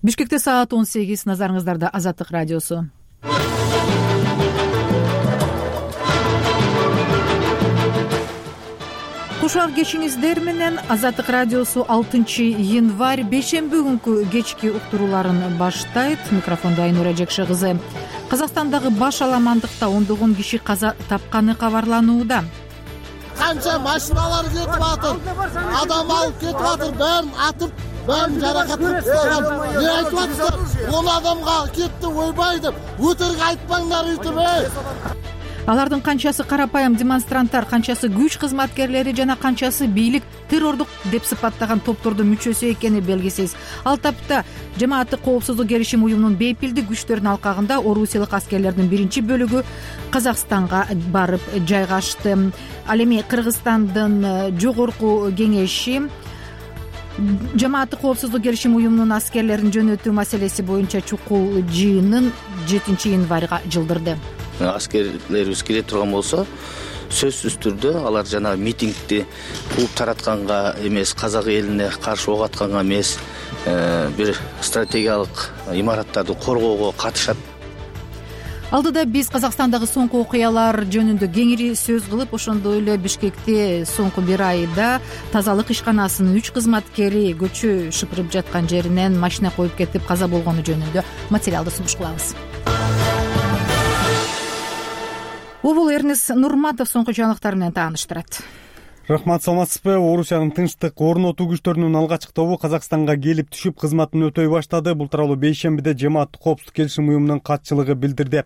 Бишкекте саат 18, назарыңыздарда Азаттык радиосу. Кушак кечиңиздер менен Азаттык радиосу 6 январь бейшемби күнкү кечки уктурууларын баштайт. Микрофондо Айнура Жекше кызы. Казакстандагы баш аламандыкта ондогон киши каза тапканы кабарланууда. Канча машиналар кетип атыр, адам алып кетип атыр, бәрин атып, бәрин жаракаттап салган. Не айтып атсыздар? 10 адамга кетти, ойбай деп, өтөргө айтпаңдар үйтүп. Алардын канчасы карапайым демонстранттар, канчасы күч кызматкерлери жана канчасы бийлик террордук деп сыпаттаган топтордун мүчөсү экени белгисиз. Ал тапта жамааттык коопсуздук келишим уюмунун бейпилдик күчтөрүнүн алкагында орусиялык аскерлердин биринчи бөлүгү Казакстанга барып жайгашты. Ал эми Кыргызстандын жогорку кеңеши жамааттык коопсуздук келишим уюмунун аскерлерин жөнөтүү маселеси боюнча чукул жыйынын 7 январга жылдырды. Аскерлерибиз келе турган болсо, сөзсүз түрдө алар жана митингди кууп таратканга эмес, казак элине каршы ок атканга эмес, бир стратегиялык имараттарды коргоого катышат. Алдыда биз Казакстандагы соңку окуялар жөнүндө кеңири сөз кылып, ошондой эле Бишкекте соңку бир айда тазалык ишканасынын 3 кызматкери көчө шыпырып жаткан жеринен машина коюп кетип каза болгону жөнүндө материалды сунуш кылабыз. Убул Эрнес Нурматов соңку жаңылыктар менен тааныштырат. Рахмат, саламатсызбы? Орусиянын тынчтык орнотуу күчтөрүнүн алгачкы тобу Казакстанга келип түшүп кызматын өтөй баштады. Бул тууралуу бейшембиде жамааттык коопсуздук келишим уюмунун катчылыгы билдирди.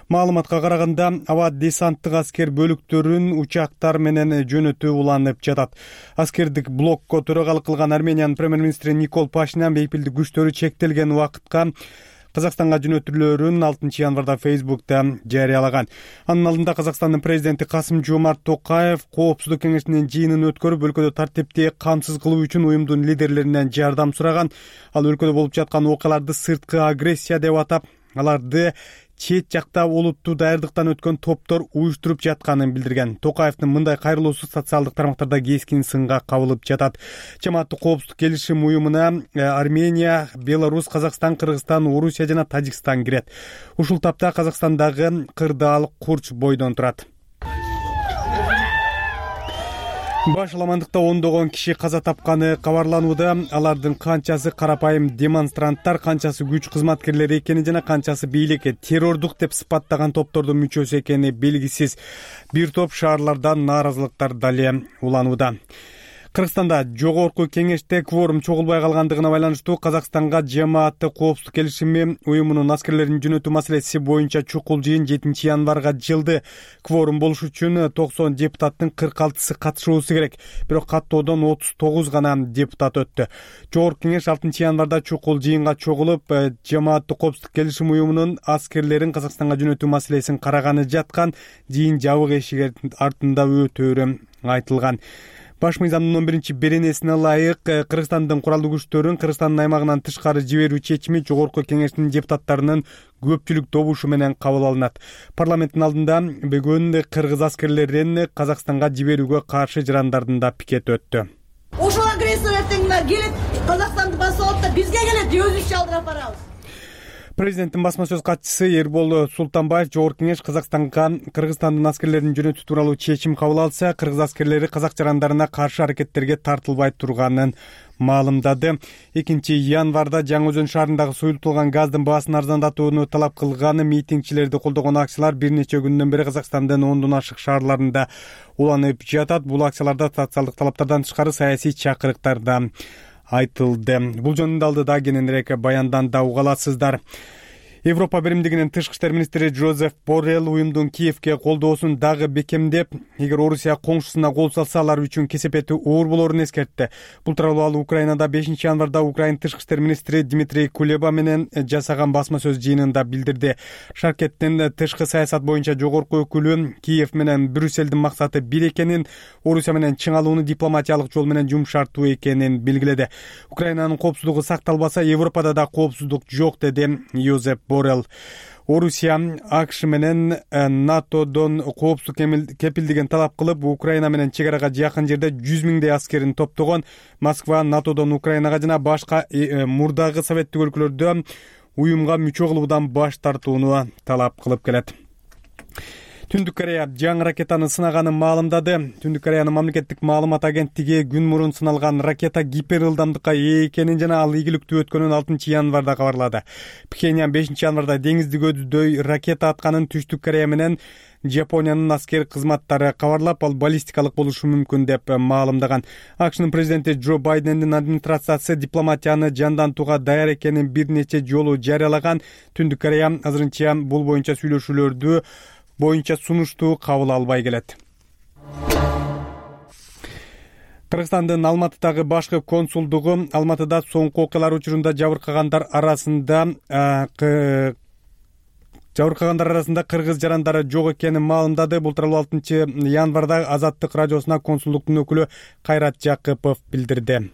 Маалыматка караганда, аба десанттык аскер бөлүктөрүн учактар менен жөнөтүү уланып жатат. Аскердик блокко төрагалык кылган Армениянын премьер-министри Никол Пашинян бейпилдик күчтөрү чектелген убакытка Казакстанга жөнөтүлөрүн 6 январда Facebook'та жарыялаган. Анын алдында Казакстандын президенти Касым-Жомарт Токаев коопсуздук кеңешинин жыйынын өткөрүп, өлкөдө тартипти камсыз кылуу үчүн уюмдун лидерлеринен жардам сураган. Ал өлкөдө болуп жаткан окуяларды сырткы агрессия деп атап, аларды чет жакта олуттуу даярдыктан өткөн топтор уюштуруп жатканын билдирген. Токаевдин мындай кайрылуусу социалдык тармактарда кескин сынга кабылып жатат. Жамааттык коопсуздук келишим уюмуна Армения, Беларусь, Казакстан, Кыргызстан, Орусия жана Тажикстан кирет. Ушул тапта Казакстандагы кырдаал курч бойдон турат. Баш аламандыкта ондогон киши каза тапканы кабарланууда. Алардын канчасы карапайым демонстранттар, канчасы күч кызматкерлери экени жана канчасы бийлик террордук деп сыпаттаган топтордун мүчөсү экени белгисиз. Бир топ шаарлардан нааразылыктар дале уланууда. Кыргызстанда жогорку кеңеште кворум чогулбай калгандыгына байланыштуу Казакстанга жамааттык коопсуздук келишими уюмунун аскерлерин жөнөтүү маселеси боюнча чукул жыйын 7 январга жылды. Кворум болуш үчүн 90 депутаттын 46сы катышуусу керек. Бирок каттоодон 39 гана депутат өттү. Жогорку кеңеш 6 январда чукул жыйынга чогулуп, жамааттык коопсуздук келишим уюмунун аскерлерин Казакстанга жөнөтүү маселесин караганы жаткан. Жыйын жабык эшик артында өтөөрү айтылган. Баш мыйзамдын 11 беренесине ылайык Кыргызстандын куралдуу күчтөрүн Кыргызстандын аймагынан тышкары жиберүү чечими жогорку кеңештин депутаттарынын көпчүлүк добушу менен кабыл алынат. Парламенттин алдында бүгүн кыргыз аскерлерин Казакстанга жиберүүгө каршы жарандардын да пикети өттү. Ошол агрессия эртеңдер келет, Казакстанды басып алат да бизге келет, өзүбүз чалдырып барабыз. Президенттин басма сөз катчысы Эрбол Султанбаев жогорку кеңеш Казакстанга Кыргызстандын аскерлерин жөнөтүү тууралуу чечим кабыл алса, кыргыз аскерлери казак жарандарына каршы аракеттерге тартылбай турганын маалымдады. 2 январда Жаңы Өзөн шаарындагы суюлтулган газдын баасын арзандатууну талап кылган митингчилерди колдогон акциялар бир нече күндөн бери Казакстандын 10дон ашык шаарларында уланып жатат. Бул акцияларда социалдык талаптардан тышкары саясий чакырыктар да айтылды. Бул жөнүндө алдыда кененирээк баяндан да уга аласыздар. Европа биримдигинин тышкы иштер министри Жозеф Боррелл уюмдун Киевке колдоосун дагы бекемдеп, эгер Орусия коңшусуна кол салса, алар үчүн кесепети оор болорун эскертти. Бул тууралуу ал Украинада 5 январда Украин тышкы иштер министри Дмитрий Кулеба менен жасаган басма сөз жыйынында билдирди. Шаркеттин тышкы саясат боюнча жогорку өкүлү Киев менен Брюссельдин максаты бир экенин, Орусия менен чыңалууну дипломатиялык жол менен жумшартуу экенин белгиледи. Украинанын коопсуздугу сакталбаса, Европада да коопсуздук жок, деди Жозеф Боррелл. Орусия АКШ менен НАТОдон коопсуздук кепилдигин талап кылып, Украина менен чек арага жакын жерде 100 миңдей аскерин топтогон. Москва НАТОдон Украинага жана башка мурдагы советтик өлкөлөрдө уюмга мүчө кылуудан баш тартууну талап кылып келет. Түндүк Корея жаңы ракетаны сынаганын маалымдады. Түндүк Кореянын мамлекеттик маалымат агенттиги күн мурун сыналган ракета гипер ылдамдыкка ээ экенин жана ал ийгиликтүү өткөнүн 6 январда кабарлады. Пхеньян 5 январда деңизди көздөй ракета атканын Түштүк Корея менен Жапониянын аскер кызматтары кабарлап, ал баллистикалык болушу мүмкүн деп маалымдаган. АКШнын президенти Джо Байдендин администрациясы дипломатияны жандантууга даяр экенин бир нече жолу жарыялаган. Түндүк Корея азырынча бул боюнча сүйлөшүүлөрдү боюнча сунушту кабыл албай келет. Кыргызстандын Алматыдагы башкы консулдугу Алматыда соңку окуялар учурунда жабыркагандар арасында кыргыз жарандары жок экенин маалымдады. Бул тууралуу 6 январда Азаттык радиосуна консулдуктун өкүлү Кайрат Жакыпов билдирди.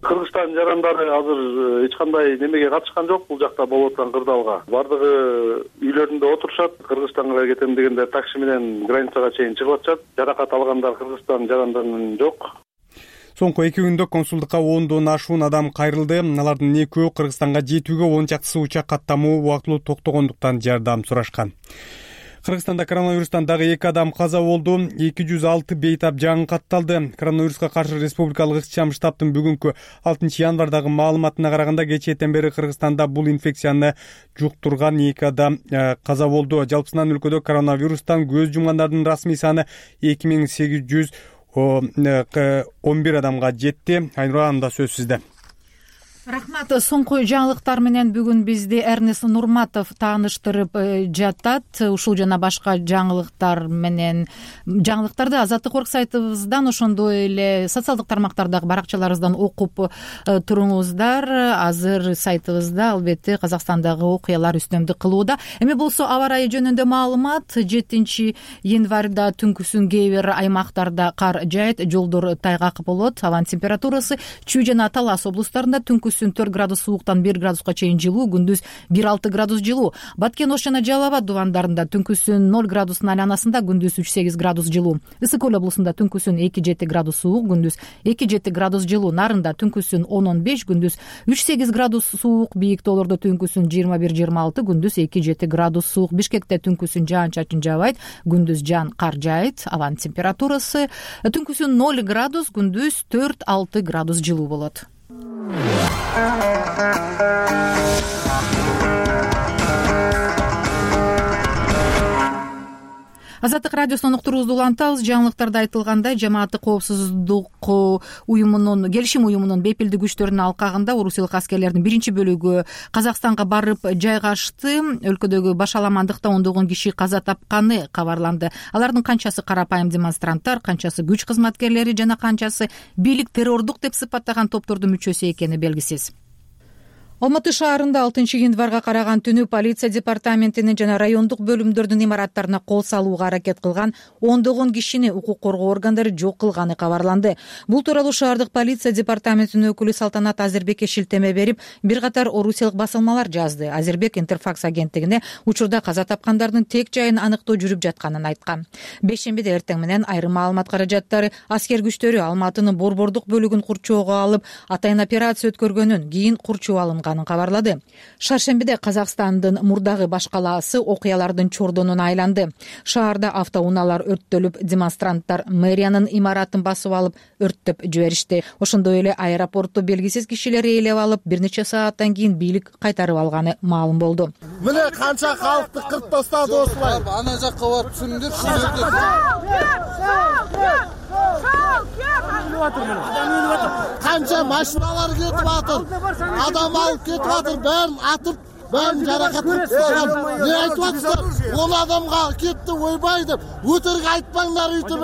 Кыргызстан жарандары азыр эч кандай немеге катышкан жок бул жакта болуп аткан кырдаалга. Бардыгы үйлөрүндө отурушат. Кыргызстанга кетем дегенде такси менен границага чейин чыгып атышат. Жаракат алгандар Кыргызстан жарандарынын жок. Соңку 2 күндө консулдукка 10дон ашуун адам кайрылды. Алардын экөө Кыргызстанга жетүүгө 10 чактысы учак каттамуу убактылуу токтогондуктан жардам сурашкан. Кыргызстанда коронавирустан дагы 2 адам каза болду. 206 бейтап жаңы катталды. Коронавируска каршы республикалык иш-чам штабтын бүгүнкү 6 январдагы маалыматына караганда кечээден бери Кыргызстанда бул инфекцияны жуктурган 2 адам каза болду. Жалпысынан өлкөдө коронавирустан көз жумгандардын расмий саны 2811 адамга жетти. Айнура, анда сөз сизде. Рахмат. Соңку жаңылыктар менен бүгүн бизди Эрнест Нурматов тааныштырып жатат. Ушул жана башка жаңылыктарды Азаттык орг сайтыбыздан, ошондой эле социалдык тармактардагы баракчаларыбыздан окуп туруңуздар. Азыр сайтыбызда албетте Казакстандагы окуялар үстөмдүк кылууда. Эми болсо аба ырайы жөнүндө маалымат. 7 январда түнкүсүн кээ бир аймактарда кар жаайт, жолдор тайгак болот. Абанын температурасы Чүй жана Талас облустарында түнкүсүн 4 градус сууктан 1 градуска чейин жылуу, күндүз 1-6 градус жылуу. Баткен Ош жана Жалал Абад дубандарында түнкүсүн 0 градустун айланасында, күндүз 3-8 градус жылуу. Ысык Көл облусунда түнкүсүн 2-7 градус суук, күндүз 2-7 градус жылуу. Нарында түнкүсүн 10-15, күндүз 3-8 градус суук. Бийик тоолордо түнкүсүн 21-26, күндүз 2-7 градус суук. Бишкекте түнкүсүн жаан-чачын жаабайт, күндүз жаан кар жаайт. Абанын температурасы түнкүсүн 0 градус, күндүз 4-6 градус жылуу болот. Азаттык радиосунан уктуруубузду улантабыз. Жаңылыктарда айтылгандай, жамааттык коопсуздук уюмунун, келишим уюмунун бепилдик күчтөрүнүн алкагында орусиялык аскерлердин биринчи бөлүгү Казакстанга барып жайгашты. Өлкөдөгү башаламандыкта ондогон киши каза тапканы кабарланды. Алардын канчасы карапайым демонстранттар, канчасы күч кызматкерлери жана канчасы бийлик террордук деп сыпаттаган топтордун мүчөсү экени белгисиз. Алматы шаарында 6 январга караган түнү полиция департаментинин жана райондук бөлүмдөрдүн имараттарына кол салууга аракет кылган ондогон кишини укук коргоо органдары жок кылганы кабарланды. Бул тууралуу шаардык полиция департаментинин өкүлү Салтанат Азербекке шилтеме берип, бир катар орусиялык басылмалар жазды. Азербек Интерфакс агенттигине учурда каза тапкандардын тек жайын аныктоо жүрүп жатканын айткан. Бейшембиде эртең менен айрым маалымат каражаттары аскер күчтөрү Алматынын борбордук бөлүгүн курчоого алып, атайын операция өткөргөнүн, кийин курчоо алынган кабарлады. Шаршембиде Казакстандын мурдагы баш калаасы окуялардын чордонуна айланды. Шаарда автоунаалар өрттөлүп, демонстранттар мэриянын имаратын басып алып, өрттөп жиберишти. Ошондой эле аэропортто белгисиз кишилер ээлеп алып, бир нече сааттан кийин бийлик кайтарып алганы маалым болду. Мына канча калкты кырып тастады осулай. Ана жакка барып түшүндүр. Канча машиналар кетип атыр. Адам алып кетип атыр, бәрін атып, бәрін жаракат кылып тастаган. Не айтып атсыздар? 10 адамга кетти, ойбай деп. Өтірік айтпаңдар үйтүп,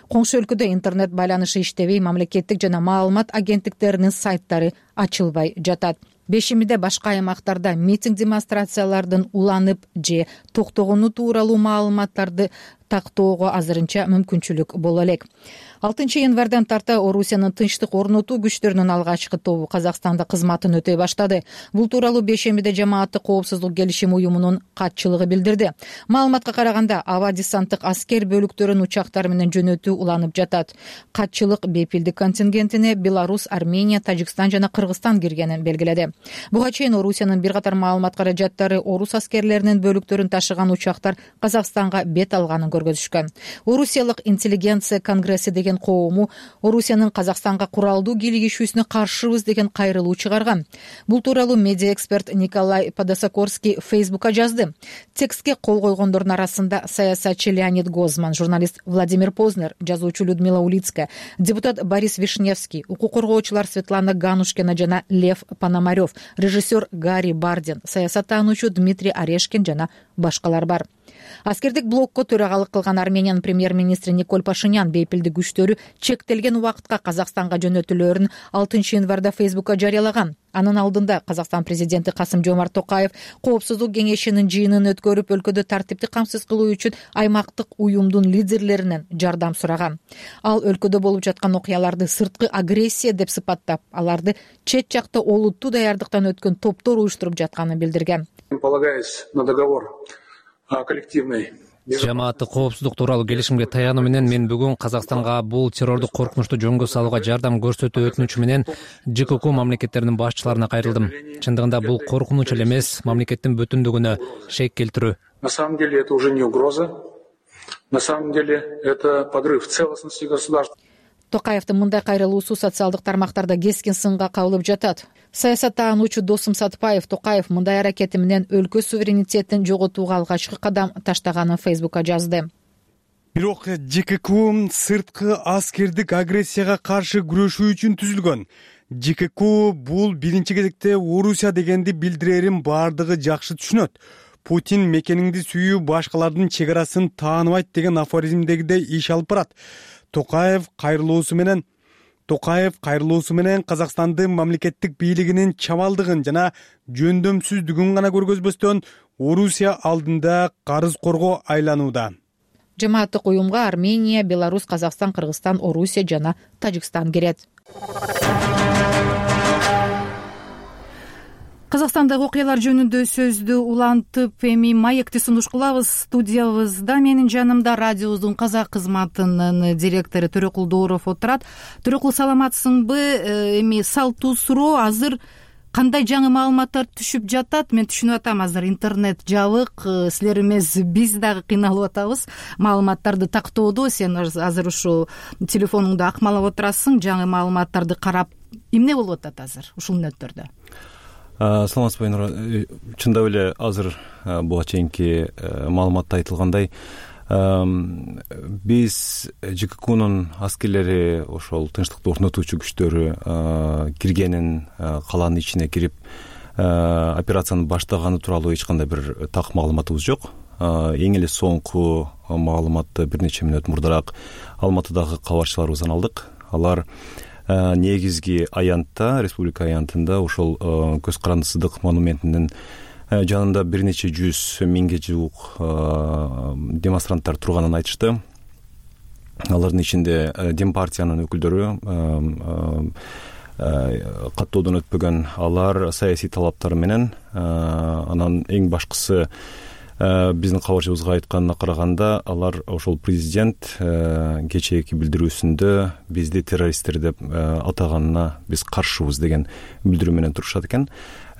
Коңшу өлкөдө интернет байланышы иштебей, мамлекеттик жана маалымат агенттиктеринин сайттары ачылбай жатат. Бешимиде башка аймактарда митинг демонстрациялардын уланып же токтогону тууралуу маалыматтарды тактоого азырынча мүмкүнчүлүк боло элек. 6-январдан тарта Орусиянын тынчтык орнотуу күчтөрүнүн алгачкы тобу Казакстанда кызматын өтөй баштады. Бул тууралуу бейшембиде Жамааттык коопсуздук келишим уюмунун катчылыгы билдирди. Маалыматка караганда, аба десанттык аскер бөлүктөрүн учактар менен жөнөтүү уланып жатат. Катчылык бепилдик контингентине Беларусь, Армения, Тажикстан жана Кыргызстан киргенин белгиледи. Буга чейин Орусиянын бир катар маалымат каражаттары орус аскерлеринин бөлүктөрүн ташыган учактар Казакстанга бет алганын көргөзүшкөн. Орусиялык интеллигенция конгресси деген коому Орусиянын Казакстанга куралдуу кийлигишүүсүнө каршыбыз деген кайрылуу чыгарган. Бул тууралуу медиа эксперт Николай Подосокорский Фейсбукка жазды. Текстке кол койгондордун арасында саясатчы Леонид Гозман, журналист Владимир Познер, жазуучу Людмила Улицкая, депутат Борис Вишневский, укук коргоочулар Светлана Ганушкина жана Лев Пономарев, режиссер Гарри Бардин, саясаттануучу Дмитрий Орешкин жана башкалар бар. Аскердик блокко төрагалык кылган Армениянын премьер-министри Николь Пашинян бейпилдик күчтөрү чектелген убакытка Казакстанга жөнөтүлөөрүн 6-январда Фейсбукка жарыялаган. Анын алдында Казакстан президенти Касым-Жомарт Токаев коопсуздук кеңешинин жыйынын өткөрүп, өлкөдө тартипти камсыз кылуу үчүн аймактык уюмдун лидерлеринен жардам сураган. Ал өлкөдө болуп жаткан окуяларды сырткы агрессия деп сыпаттап, аларды чет жакта олуттуу даярдыктан өткөн топтор уюштуруп жатканын билдирген. Полагаясь на договор коллективный. Жамааттык коопсуздук тууралуу келишимге таянуу менен мен бүгүн Казакстанга бул террордук коркунучту жөнгө салууга жардам көрсөтүү өтүнүчү менен ЖКК мамлекеттеринин башчыларына кайрылдым. Чындыгында бул коркунуч эле эмес, мамлекеттин бүтүндүгүнө шек келтирүү. На самом деле это уже не угроза. На самом деле это подрыв целостности государства. Токаевдин мындай кайрылуусу социалдык тармактарда кескин сынга кабылып жатат. Саясаттануучу Досум Сатпаев Токаев мындай аракети менен өлкө суверенитетин жоготууга алгачкы кадам таштаганын Фейсбукка жазды. Бирок ЖКК сырткы аскердик агрессияга каршы күрөшүү үчүн түзүлгөн. ЖКК бул биринчи кезекте Орусия дегенди билдирерин баардыгы жакшы түшүнөт. Путин мекениңди сүйүү башкалардын чек арасын тааныбайт деген афоризмдегидей иш алып барат. Токаев кайрылуусу менен Казакстандын мамлекеттик бийлигинин чамалдыгын жана жөндөмсүздүгүн гана көргөзбөстөн Орусия алдында карыз корго айланууда. Жамааттык уюмга Армения, Беларусь, Казакстан, Кыргызстан, Орусия жана Тажикстан кирет. Казакстандагы окуялар жөнүндө сөздү улантып, эми маекти сунуш кылабыз. Студиябызда менин жанымда радиобуздун казак кызматынын директору Төрөкул Дооров отурат. Төрөкул, саламатсыңбы? Эми салттуу суроо, азыр кандай жаңы маалыматтар түшүп жатат? Мен түшүнүп атам, азыр интернет жабык, силер эмес биз дагы кыйналып атабыз маалыматтарды тактоодо. Сен азыр ушу телефонуңду акмалап отурасың, жаңы маалыматтарды карап, эмне болуп атат азыр ушул мүнөттөрдө? Саламатсызбы, Айнура. Чындап эле азыр буга чейинки маалыматта айтылгандай, биз ЖККнун аскерлери ошол тынчтыкты орнотуучу күчтөрү киргенин, калаанын ичине кирип операцияны баштаганы тууралуу эч кандай бир так маалыматыбыз жок. Эң эле соңку маалыматты бир нече мүнөт мурдараак Алматыдагы кабарчыларыбыздан алдык. Алар негизги аянтта, республика аянтында ошол көз карандысыздык монументинин жанында бир нече 100 миңге жуук демонстранттар турганын айтышты. Алардын ичинде Дем партиянын өкүлдөрү, каттоодон өтпөгөн алар саясий талаптары менен, анан эң башкысы биздин кабарчыбызга айтканына караганда, алар ошол президент кечээки билдирүүсүндө бизди террористтер деп атаганына биз каршыбыз деген билдирүү менен турушат экен.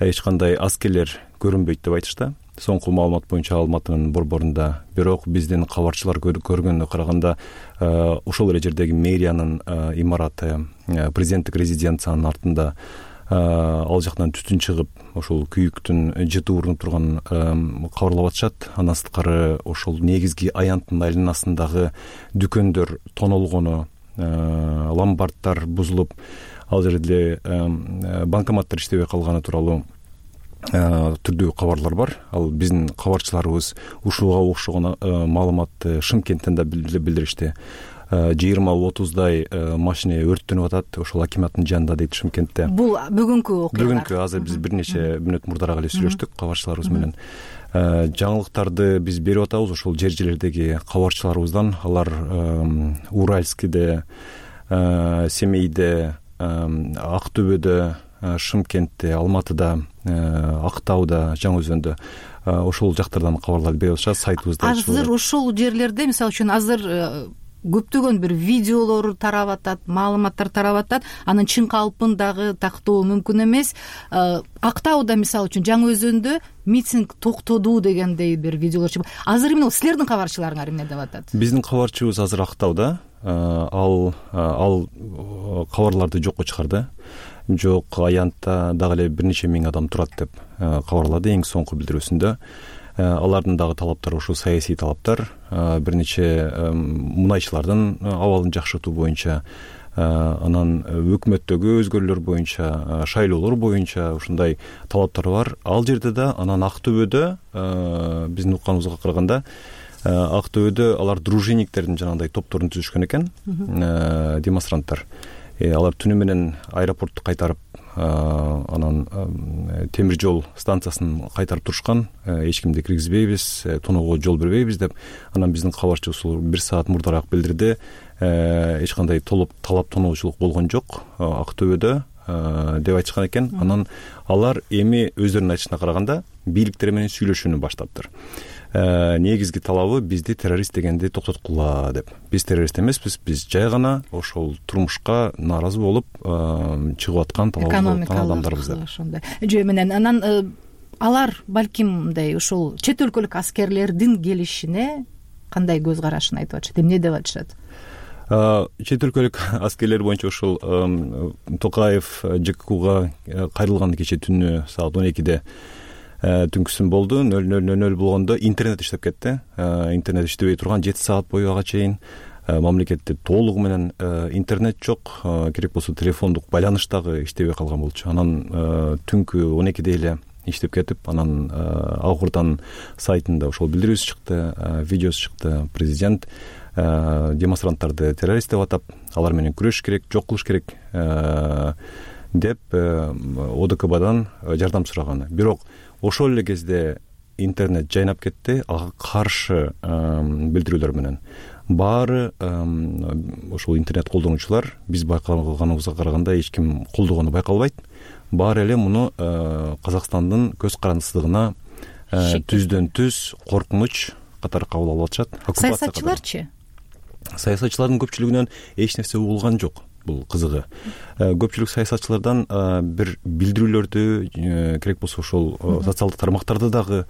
Эч кандай аскерлер көрүнбөйт деп айтышты. Соңку маалымат боюнча Алматынын борборунда, бирок биздин кабарчылар көргөнүнө караганда, ошол эле жердеги мэриянын имараты, президенттик резиденциянын артында ал жактан түтүн чыгып, ошол күйүктүн жыты урунуп турганын кабарлап атышат. Андан сырткары ошол негизги аянттын айланасындагы дүкөндөр тонолгону, ломбарддар бузулуп, ал жерде банкоматтар иштебей калганы тууралуу түрдүү кабарлар бар. Ал биздин кабарчыларыбыз ушуга окшогон маалыматты Шымкенттен да билдиришти. 20-30 машина өрттөнүп атат ошол акиматтын жанында дейт Шымкентте. Бул бүгүнкү окуялар. Бүгүнкү азыр биз бир нече мүнөт мурдараак эле сүйлөштүк кабарчыларыбыз менен. Жаңылыктарды биз берип атабыз ошол жер-жерлердеги кабарчыларыбыздан. Алар Уральскиде, Семейде, Актөбөдө, Шымкентте, Алматыда, Актауда, Жаңы Өзөндө ошол жактардан кабарларды берип атышат. Сайтыбызда азыр ошол жерлерде мисалы үчүн азыр көптөгөн бир видеолор тарап атат, маалыматтар тарап атат. Анын чын калпын дагы тактоо мүмкүн эмес. Актауда мисалы үчүн Жаңы Өзөндө митинг токтоду дегендей бир видеолор чыгып. Азыр эмне силердин кабарчыларыңар эмне деп атат? Биздин кабарчыбыз азыр Актауда. Ал кабарларды жокко чыгарды. Жок, аянтта дагы эле бир нече миң адам турат деп кабарлады эң соңку билдирүүсүндө. Алардын дагы талаптары ошо саясий талаптар, бир нече мунайчылардын абалын жакшыртуу боюнча, анан өкмөттөгү өзгөрүүлөр боюнча, шайлоолор боюнча ушундай талаптар бар. Ал жерде да анан Актөбөдө биздин укканыбызга караганда Актөбөдө алар дружинниктердин жанагындай топторун түзүшкөн экен, демонстранттар. Алар түнү менен аэропортту кайтарып, анан темир жол станциясын кайтарып турушкан. Эч кимди киргизбейбиз, тоноого жол бербейбиз деп. Анан биздин кабарчыбыз бир саат мурдараак билдирди. Эч кандай талап тоноочулук болгон жок Актөбөдө деп айтышкан экен. Анан алар эми өздөрүнүн айтышына караганда бийликтер менен сүйлөшүүнү баштаптыр. Негизги талабы бизди террорист дегенди токтоткула деп. Биз террорист эмеспиз, биз жай гана ошол турмушка нааразы болуп чыгып аткан адамдарбыз деп. Ошондой жөө менен анан алар балким мындай ошол чет өлкөлүк аскерлердин келишине кандай көз карашын айтып атышат, эмне деп атышат? Чет өлкөлүк аскерлер боюнча ошол Токаев ЖККга кайрылган кече түнү саат 12-де түнкүсүн болду. 00:00 болгондо интернет иштеп кетти. Интернет иштебей турган 7 саат бою ага чейин мамлекетте толугу менен интернет жок, керек болсо телефондук байланыш дагы иштебей калган болчу. Анан түнкү 12-де эле иштеп кетип, анан Акырдан сайтында ошол билдирүүсү чыкты, видеосу чыкты. Президент демонстранттарды террорист деп атап, алар менен күрөшүш керек, жок кылыш керек деп ОДКБдан жардам сураган. Бирок ошол эле кезде интернет жайнап кетти, ага каршы билдирүүлөр менен. Баары ошол интернет колдонуучулар биз байкаганыбызга караганда эч ким колдогону байкалбайт. Баары эле муну Казакстандын көз карандысыздыгына түздөн түз коркунуч катары кабыл алып атышат. Саясатчыларчы? Саясатчылардын көпчүлүгүнөн эч нерсе угулган жок. Бул кызыгы. Көпчүлүк саясатчылардан бир билдирүүлөрдү, керек болсо ошол социалдык тармактарда дагы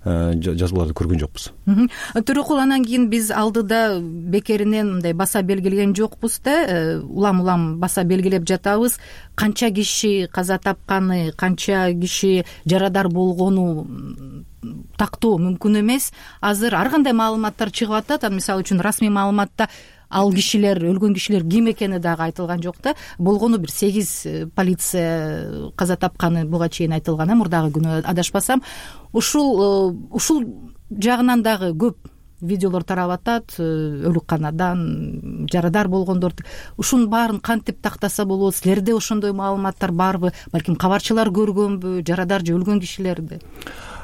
жазууларды көргөн жокпуз. Төрөкул, анан кийин биз алдыда бекеринен мындай баса белгилеген жокпуз да, улам баса белгилеп жатабыз. Канча киши каза тапканы, канча киши жарадар болгону тактоо мүмкүн эмес. Азыр ар кандай маалыматтар чыгып атат. Мисалы үчүн расмий маалыматта ал кишилер, өлгөн кишилер ким экени дагы айтылган жок да. Болгону бир 8 полиция каза тапканы буга чейин айтылган, мурдагы күнү адашпасам. Ушул жагынан дагы көп видеолор тарап атат, өлүкканадан жарадар болгондор. Ушунун баарын кантип тактаса болот? Силерде ошондой маалыматтар барбы? Балким кабарчылар көргөнбү, жарадар же өлгөн кишилерди?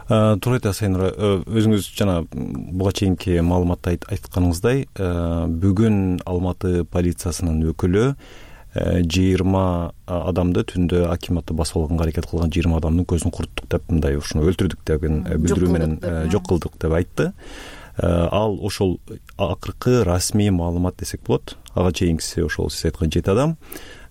Туура айтасыз Айнура. Өзүңүз жана буга чейинки маалыматта айтканыңыздай, бүгүн Алматы полициясынын өкүлү 20 адамды түндө акиматты басып алганга аракет кылган 20 адамдын көзүн курттук деп, мындай ушуну өлтүрдүк деген билдирүү менен жок кылдык деп айтты. Ал ошол акыркы расмий маалымат десек болот. Ага чейинкиси ошол сиз айткан 7 адам.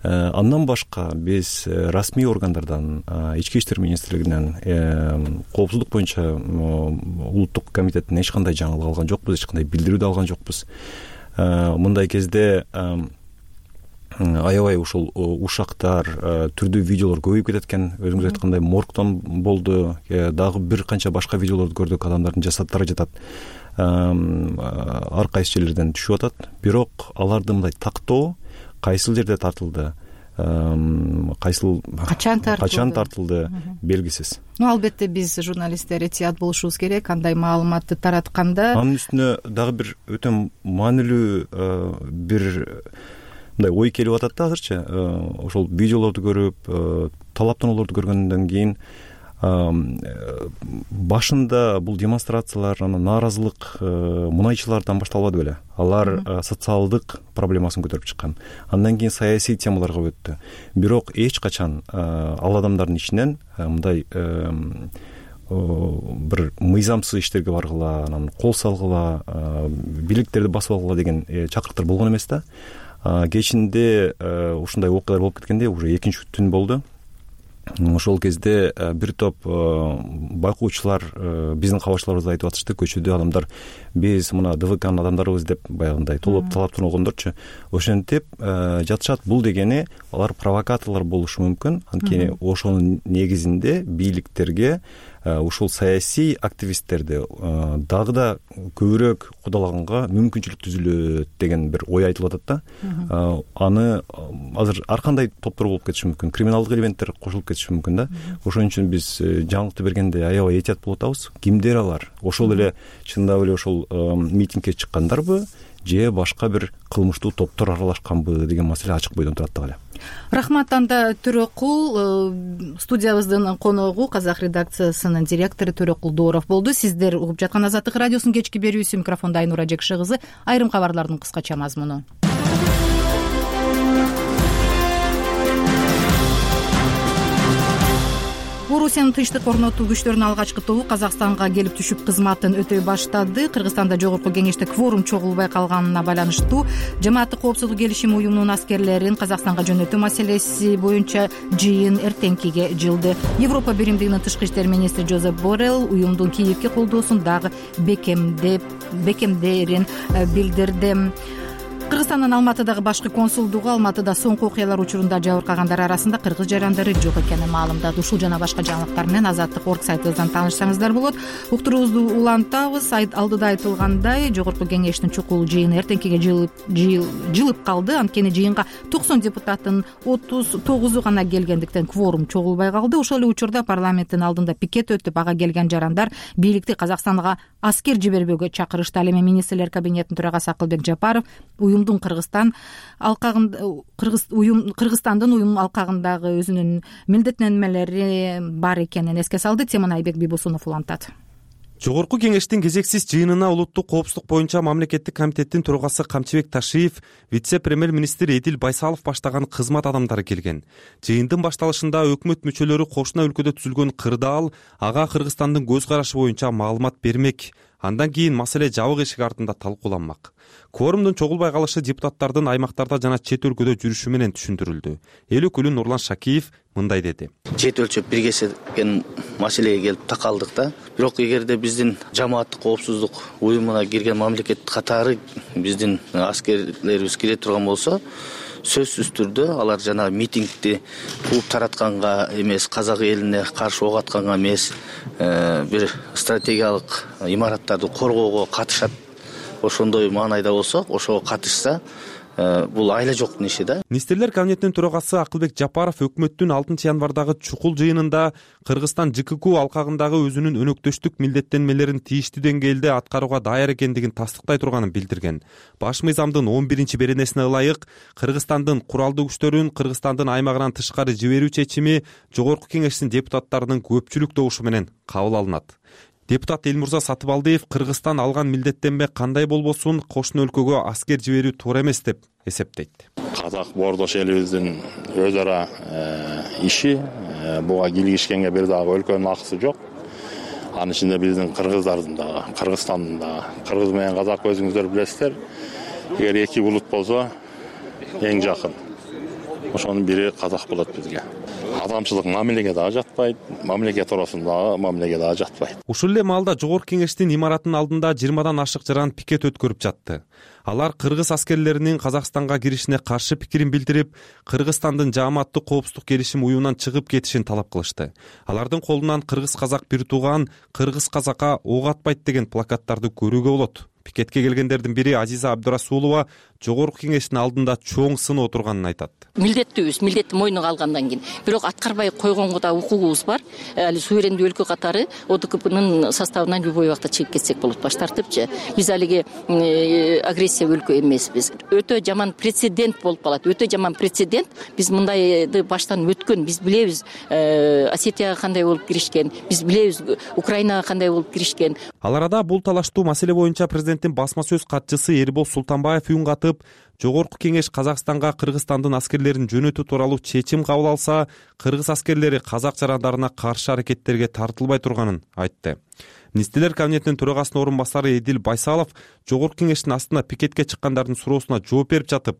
Андан башка биз расмий органдардан, Ички иштер министрлигинен, коопсуздук боюнча улуттук комитеттин эч кандай жаңылык алган жокпуз, эч кандай билдирүү да алган жокпуз. Мындай кезде аябай ушул ушактар, түрдүү видеолор көбөйүп кетет экен. Өзүңүз айткандай моргтон болду, дагы бир канча башка видеолорду көрдүк, адамдардын жасаттары жатат. Ар кайсы жерлерден түшүп атат. Бирок аларды мындай тактоо кайсыл жерде тартылды, кайсыл качан тартылды белгисиз. Албетте биз журналисттер этият болушубуз керек кандай маалыматты таратканда. Анын үстүнө дагы бир өтө маанилүү бир мындай ой келип атат да азырчы. Ошол видеолорду көрүп, талаптануулорду көргөндөн кийин башында бул демонстрациялар, нааразылык мунайчылардан башталбады беле. Алар социалдык проблемасын көтөрүп чыккан. Андан кийин саясий темаларга өттү. Бирок эч качан ал адамдардын ичинен мындай бир мыйзамсыз иштерге баргыла, анан кол салгыла, бийликтерди басып алгыла деген чакырыктар болгон эмес да. Кечинде ушундай окуялар болуп кеткенде уже экинчи түн болду. Ошол кезде бир топ байкоочулар биздин кабарчыларыбызга айтып атышты, көчөдө адамдар биз мына ДВКнын адамдарыбыз деп баягындай талаптан болгондорчу ошентип жатышат. Бул дегени алар провокаторлор болушу мүмкүн. Анткени ошонун негизинде бийликтерге ушул саясий активисттерди дагы да көбүрөөк кудалаганга мүмкүнчүлүк түзүлөт деген бир ой айтылып атат да. Аны азыр ар кандай топтор болуп кетиши мүмкүн, криминалдык элементтер кошулуп кетиши мүмкүн да. Ошон үчүн биз жаңылыкты бергенде аябай этият болуп атабыз. Кимдер алар? Ошол эле чындап эле ошол митингге чыккандарбы же башка бир кылмыштуу топтор аралашканбы деген маселе ачык бойдон турат дагы эле. Рахмат Анда Төрөкул. Студиябыздын коногу Казак редакциясынын директору Төрөкул Дооров болду. Сиздер угуп жаткан Азаттык радиосунун кечки берүүсү. Микрофондо Айнура Жекши кызы. Айрым кабарлардын кыскача мазмуну. Орусиянын тынчтык орнотуу күчтөрүнүн алгачкы тобу Казакстанга келип түшүп кызматын өтөй баштады. Кыргызстанда жогорку кеңеште кворум чогулбай калганына байланыштуу жамааттык коопсуздук келишими уюмунун аскерлерин Казакстанга жөнөтүү маселеси боюнча жыйын эртеңкиге жылды. Европа биримдигинин тышкы иштер министри Жозеп Боррелл уюмдун Киевге колдоосун дагы бекемдерин билдирди. Кыргызстандын Алматыдагы башкы консулдугу Алматыда соңку окуялар учурунда жабыркагандар арасында кыргыз жарандары жок экенин маалымдады. Ушул жана башка жаңылыктар менен Азаттык.орг сайтыбыздан таанышсаңыздар болот. Уктуруубузду улантабыз. Алдыда айтылгандай, жогорку кеңештин чукул жыйыны эртеңкиге жылып калды. Анткени жыйынга 90 депутаттын 39 гана келгендиктен кворум чогулбай калды. Ошол эле учурда парламенттин алдында пикет өтүп, ага келген жарандар бийликти Казакстанга аскер жибербөөгө чакырышты. Ал эми министрлер кабинетинин төрагасы Акылбек Жапаров уюмдун Кыргызстандын уюм алкагындагы өзүнүн милдеттенмелери бар экенин эске салды. Теманы Айбек Бибосунов улантат. Жогорку кеңештин кезексиз жыйынына улуттук коопсуздук боюнча мамлекеттик комитеттин төрагасы Камчыбек Ташиев, вице-премьер-министр Эдил Байсалов баштаган кызмат адамдары келген. Жыйындын башталышында өкмөт мүчөлөрү кошуна өлкөдө түзүлгөн кырдаал, ага Кыргызстандын көз карашы боюнча маалымат бермек. Андан кийин маселе жабык эшик артында талкууланмак. Кворумдун чогулбай калышы депутаттардын аймактарда жана чет өлкөдө жүрүшү менен түшүндүрүлдү. Эл өкүлү Нурлан Шакиев мындай деди. Чет өлчөп биргескен маселеге келип такалдык да. Бирок эгерде биздин жамааттык коопсуздук уюмуна кирген мамлекет катары биздин аскерлерибиз кире турган болсо, сөзсүз түрдө алар жана митингди кууп таратканга эмес, казак элине каршы ок атканга эмес, бир стратегиялык имараттарды коргоого катышат. Ошондой маанайда болсо, ошого катышса, бул айла жоктун иши да. Министрлер кабинетинин төрагасы Акылбек Жапаров өкмөттүн 6 январдагы чукул жыйынында Кыргызстан ЖКК алкагындагы өзүнүн өнөктөштүк милдеттенмелерин тийиштүү деңгээлде аткарууга даяр экендигин тастыктай турганын билдирген. Баш мыйзамдын 11 беренесине ылайык Кыргызстандын куралдуу күчтөрүн Кыргызстандын аймагынан тышкары жиберүү чечими жогорку кеңештин депутаттарынын көпчүлүк добушу менен кабыл алынат. Депутат Элмурза Сатыбалдиев Кыргызстан алган милдеттенме кандай болбосун кошуна өлкөгө аскер жиберүү туура эмес деп эсептейт. Казак боордош элибиздин өз ара иши, буга киргишкенге бир дагы өлкөнүн акысы жок. Анын ичинде биздин кыргыздардын дагы, Кыргызстандын дагы. Кыргыз менен казак өзүңүздөр билесиздер. Эгер эки булут болсо эң жакын. Ошонун бири казак болот бизге. Адамчылык мамилеге дагы жатпайт, мамлекет туурасындагы мамилеге дагы жатпайт. Ушул эле маалда жогорку кеңештин имаратынын алдында 20дан ашык жаран пикет өткөрүп жатты. Алар кыргыз аскерлеринин Казакстанга киришине каршы пикирин билдирип, Кыргызстандын жааматтык коопсуздук келишим уюмунан чыгып кетишин талап кылышты. Алардын колунан кыргыз-казак бир тууган, кыргыз-казакка ок атпайт деген плакаттарды көрүүгө болот. Пикетке келгендердин бири Азиза Абдурасулова жогорку кеңештин алдында чоң сын отурганын айтат. Милдеттүүбүз, милдетти мойнуна алгандан кийин, бирок аткарбай койгонго да укугубуз бар. Али суверендүү өлкө катары ОДКБнын составынан любой убакта чыгып кетсек болот, баш тартыпчы. Биз алиги агрессия өлкө эмеспиз. Өтө жаман прецедент болуп калат. Өтө жаман прецедент. Биз мындайды баштан өткөн. Биз билебиз Осетияга кандай болуп киришкен. Биз билебиз Украинага кандай болуп киришкен. Ал арада бул талаштуу маселе боюнча президенттин басма сөз катчысы Эрбол Султанбаев үн катып, Жогорку кеңеш Казакстанга Кыргызстандын аскерлерин жөнөтүү тууралуу чечим кабыл алса, кыргыз аскерлери казак жарандарына каршы аракеттерге тартылбай турганын айтты. Министрлер кабинетинин төрагасынын орун басары Эдил Байсалов Жогорку кеңештин астына пикетке чыккандардын суроосуна жооп берип жатып,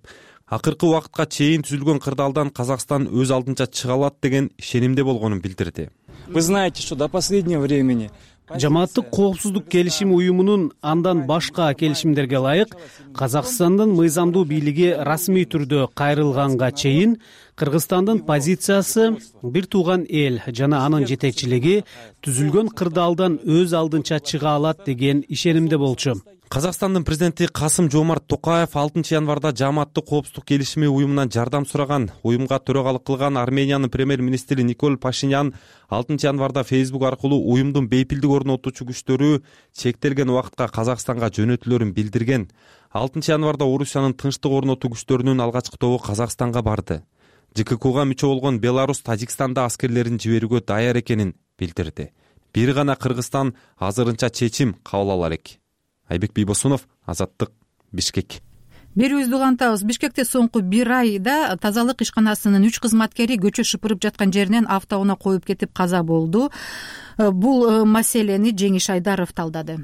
акыркы убакытка чейин түзүлгөн кырдаалдан Казакстан өз алдынча чыга алат деген ишенимде болгонун билдирди. Вы знаете, что до последнего времени Жамааттык коопсуздук келишим уюмунун андан башка келишимдерге ылайык Казакстандын мыйзамдуу бийлиги расмий түрдө кайрылганга чейин Кыргызстандын позициясы бир тууган эл жана анын жетекчилиги түзүлгөн кырдаалдан өз алдынча чыга алат деген ишенимде болчу. Казакстандын президенти Касым-Жомарт Токаев 6 январда жамааттык коопсуздук келишими уюмунан жардам сураган. Уюмга төрагалык кылган Армениянын премьер-министри Николь Пашинян 6 январда Facebook аркылуу уюмдун бейпилдик орнотуучу күчтөрү чектелген убакытка Казакстанга жөнөтүлөрүн билдирген. 6 январда Орусиянын тынчтык орнотуу күчтөрүнүн алгачкы тобу Казакстанга барды. ЖККга мүчө болгон Беларусь Тажикстанда аскерлерин жиберүүгө даяр экенин билдирди. Бир гана Кыргызстан азырынча чечим кабыл ала элек. Айбек Бийбосунов, Азаттык, Бишкек. Берүүбүздү улантабыз. Бишкекте соңку бир айда тазалык ишканасынын 3 кызматкери көчө шыпырып жаткан жеринен автоунаа коюп кетип каза болду. Бул маселени Жеңиш Айдаров талдады.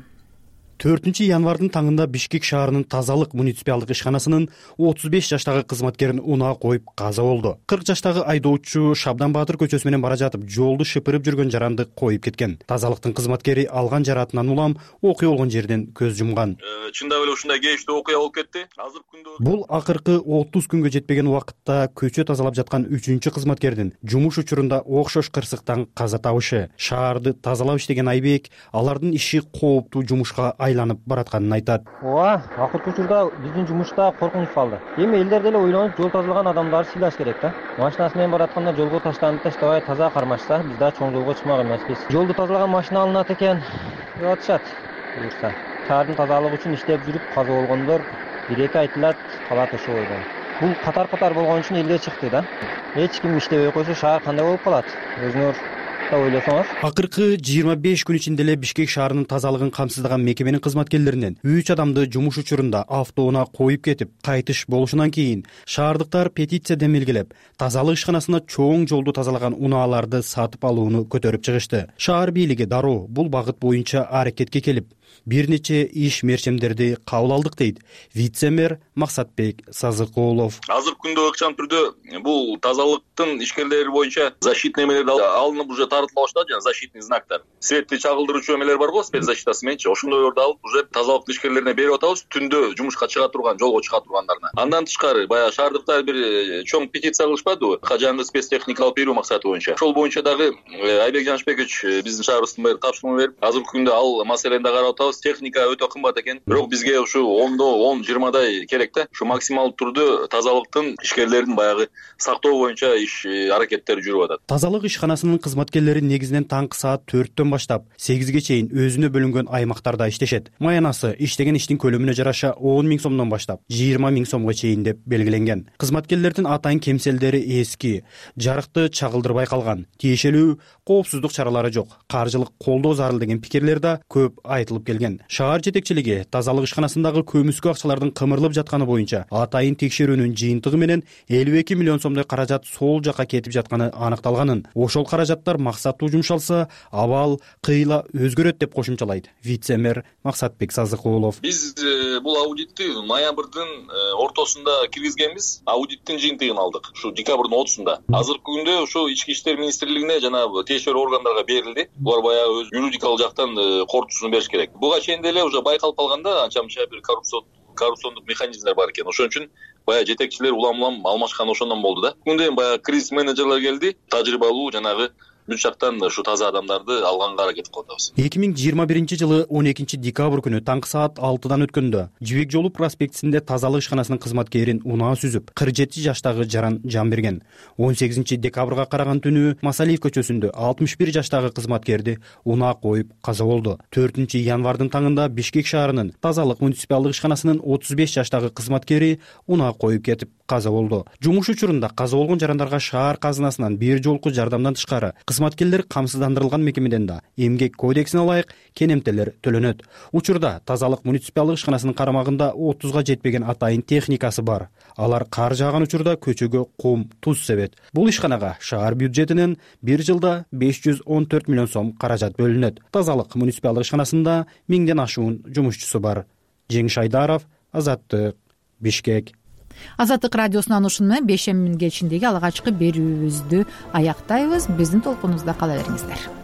4 январдын таңында Бишкек шаарынын тазалык муниципалдык ишканасынын 35 жаштагы кызматкерин унаа коюп каза болду. 40 жаштагы айдоочу Шабдан Баатыр көчөсү менен бара жатып, жолду шыпырып жүргөн жаранды коюп кеткен. Тазалыктын кызматкери алган жаратынан улам окуя болгон жерден көз жумган. Чындап эле ушундай кейиштүү окуя болуп кетти. Азыр күндө бул акыркы 30 күнгө жетпеген убакытта көчө тазалап жаткан 3-чү кызматкердин жумуш учурунда окшош кырсыктан каза табышы. Шаарды тазалап иштеген Айбек алардын иши кооптуу жумушка айланып баратканын айтат. Ооба, акыркы учурда биздин жумушта коркунуч салды. Эми элдер деле ойлонуп, жол тазалаган адамдарды сыйлаш керек да. Машинасы менен баратканда жолго таштанып таштабай таза кармашса, биз да чоң жолго чыкмак эмеспиз. Жолду тазалаган машина алынат экен деп атышат. Буюрса, шаардын тазалыгы үчүн иштеп жүрүп каза болгондор 1-2 айтылат, калат ошо бойдон. Бул катар болгон үчүн элге чыкты да. Эч ким иштебей койсо шаар кандай болуп калат? Өзүңөр ойлосоңуз. Акыркы 25 күн ичинде эле Бишкек шаарынын тазалыгын камсыздаган мекеменин кызматкерлеринен 3 адамды жумуш учурунда автоунаа коюп кетип кайтыш болушунан кийин шаардыктар петиция демилгелеп, тазалык ишканасына чоң жолду тазалаган унааларды сатып алууну көтөрүп чыгышты. Шаар бийлиги дароо бул багыт боюнча аракетке келип, бир нече иш мерчемдерди кабыл алдык дейт вице-мэр Максатбек Сазыкулов. Азыр күндө ыкчам түрдө бул тазалыктын ишкерлери боюнча защитный эмелер алынып уже тартыла баштады, жана защитный знактар. Светти чагылдыруучу эмелер бар го, спецзащитасы мененчи. Ошондойлорду алып уже тазалыктын ишкерлерине берип атабыз, түндө жумушка чыга турган, жолго чыга тургандарына. Андан тышкары баягы шаардыктар бир чоң петиция кылышпадыбы? Кажанды спецтехника алып берүү максаты боюнча. Ошол боюнча дагы Айбек Жанышбекович биздин шаарыбыздын мэрі тапшырма берип, азыркы күндө ал маселени да карап атабыз. Техника өтө кымбат экен. Бирок бизге ушу 10-20дай керек да. Ушу максималдуу түрдө тазалыктын ишкерлерин баягы сактоо боюнча иш аракеттери жүрүп атат. Тазалык ишканасынын кызматкерлери негизинен таңкы саат 4төн баштап 8ге чейин өзүнө бөлүнгөн аймактарда иштешет. Маянасы иштеген иштин көлөмүнө жараша 10 000 сомдон баштап 20 000 сомго чейин деп белгиленген. Кызматкерлердин атайын кемселдери эски, жарыкты чагылдырбай калган, тиешелүү коопсуздук чаралары жок, каржылык колдоо зарыл деген пикирлер да көп айтылып келген. Шаар жетекчилиги тазалык ишканасындагы көмүскө акчалардын кымырылып жатканы боюнча атайын текшерүүнүн жыйынтыгы менен 52 миллион сомдой каражат сол жака кетип жатканы аныкталганын, ошол каражаттар максаттуу жумшалса, абал кыйла өзгөрөт деп кошумчалайт вице-мэр Максатбек Сазыкулов. Биз бул аудитти ноябрдын ортосунда киргизгенбиз. Аудиттин жыйынтыгын алдык. Ушу декабрдын 30-сунда. Азыркы күндө ушу Ички иштер министрлигине жана тиешелүү органдарга берилди. Булар баягы өз юридикалык жактан кортусун бериш керек. Буга чейин деле уже байкалып калганда анча-мынча бир коррупциондук механизмдер бар экен. Ошон үчүн баягы жетекчилер улам алмашкан ошондон болду да. Күндө баягы кризис менеджерлер келди, тажрыйбалуу жанагы бүт жактан ушу таза адамдарды алганга аракет кылып атабыз. 2021 12 декабрь күнү таңкы саат 6-дан өткөндө Жибек жолу проспектисинде тазалык ишканасынын кызматкерин унаа сүзүп 47 жаштагы жаран жан берген. 18 декабрга караган түнү Масалиев көчөсүндө 61 жаштагы кызматкерди унаа коюп каза болду. 4 январдын таңында Бишкек шаарынын тазалык муниципалдык ишканасынын 35 жаштагы кызматкери унаа коюп кетип каза болду. Жумуш учурунда каза болгон жарандарга шаар казынасынан бир жолку жардамдан тышкары кызматкерлер камсыздандырылган мекемеден да эмгек кодексине ылайык кенемтелер төлөнөт. Учурда тазалык муниципалдык ишканасынын карамагында 30га жетпеген атайын техникасы бар. Алар кар жааган учурда көчөгө кум, туз себет. Бул ишканага шаар бюджетинен бир жылда 514 миллион сом каражат бөлүнөт. Тазалык муниципалдык ишканасында 1000ден ашуун жумушчусу бар. Жеңиш Айдаров, Азаттык, Бишкек. Азаттык радиосунан ушуну менен бейшембинин кечиндеги алгачкы берүүбүздү аяктайбыз. Биздин толкунубузда кала бериңиздер.